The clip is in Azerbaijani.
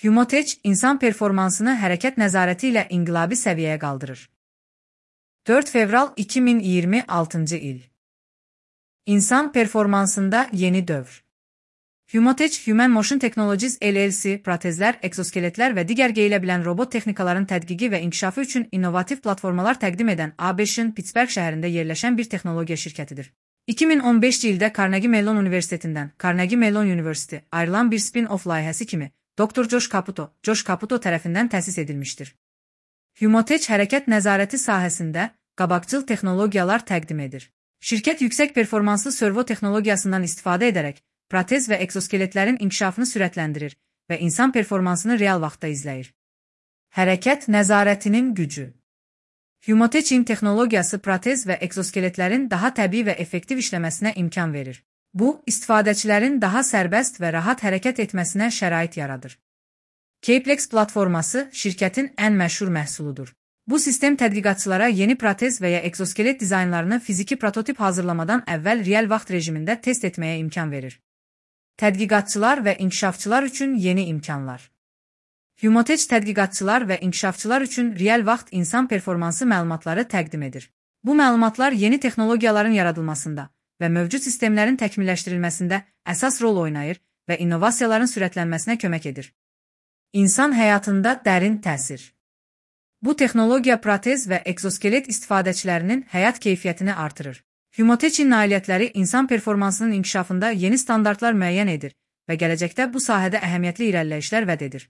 Humotech, insan performansını hərəkət nəzarəti ilə inqilabi səviyyəyə qaldırır. 4 fevral 2026 il. İnsan performansında yeni dövr. Humotech, Human Motion Technologies LLC, protezlər, eksoskeletlər və digər geyilə bilən robot texnikaların tədqiqi və inkişafı üçün innovativ platformalar təqdim edən ABŞ-ın Pittsburgh şəhərində yerləşən bir texnologiya şirkətidir. 2015 ildə Carnegie Mellon Universitetindən Carnegie Mellon University ayrılan bir spin-off layihəsi kimi Dr. Josh Caputo tərəfindən təsis edilmişdir. Humotech hərəkət nəzarəti sahəsində qabaqcıl texnologiyalar təqdim edir. Şirkət yüksək performanslı servo texnologiyasından istifadə edərək protez və eksoskeletlərin inkişafını sürətləndirir və insan performansını real vaxtda izləyir. Hərəkət nəzarətinin gücü. Humotech'in texnologiyası protez və eksoskeletlərin daha təbii və effektiv işləməsinə imkan verir. Bu, istifadəçilərin daha sərbəst və rahat hərəkət etməsinə şərait yaradır. Caplex platforması şirkətin ən məşhur məhsuludur. Bu sistem tədqiqatçılara yeni protez və ya eksoskelet dizaynlarını fiziki prototip hazırlamadan əvvəl real vaxt rejimində test etməyə imkan verir. Tədqiqatçılar və inkişafçılar üçün yeni imkanlar. Humotech tədqiqatçılar və inkişafçılar üçün real vaxt insan performansı məlumatları təqdim edir. Bu məlumatlar yeni texnologiyaların yaradılmasında və mövcud sistemlərin təkmilləşdirilməsində əsas rol oynayır və innovasiyaların sürətlənməsinə kömək edir. İnsan həyatında dərin təsir. Bu texnologiya protez və eksoskelet istifadəçilərinin həyat keyfiyyətini artırır. Humotech'in nailiyyətləri insan performansının inkişafında yeni standartlar müəyyən edir və gələcəkdə bu sahədə əhəmiyyətli irəliləyişlər vəd edir.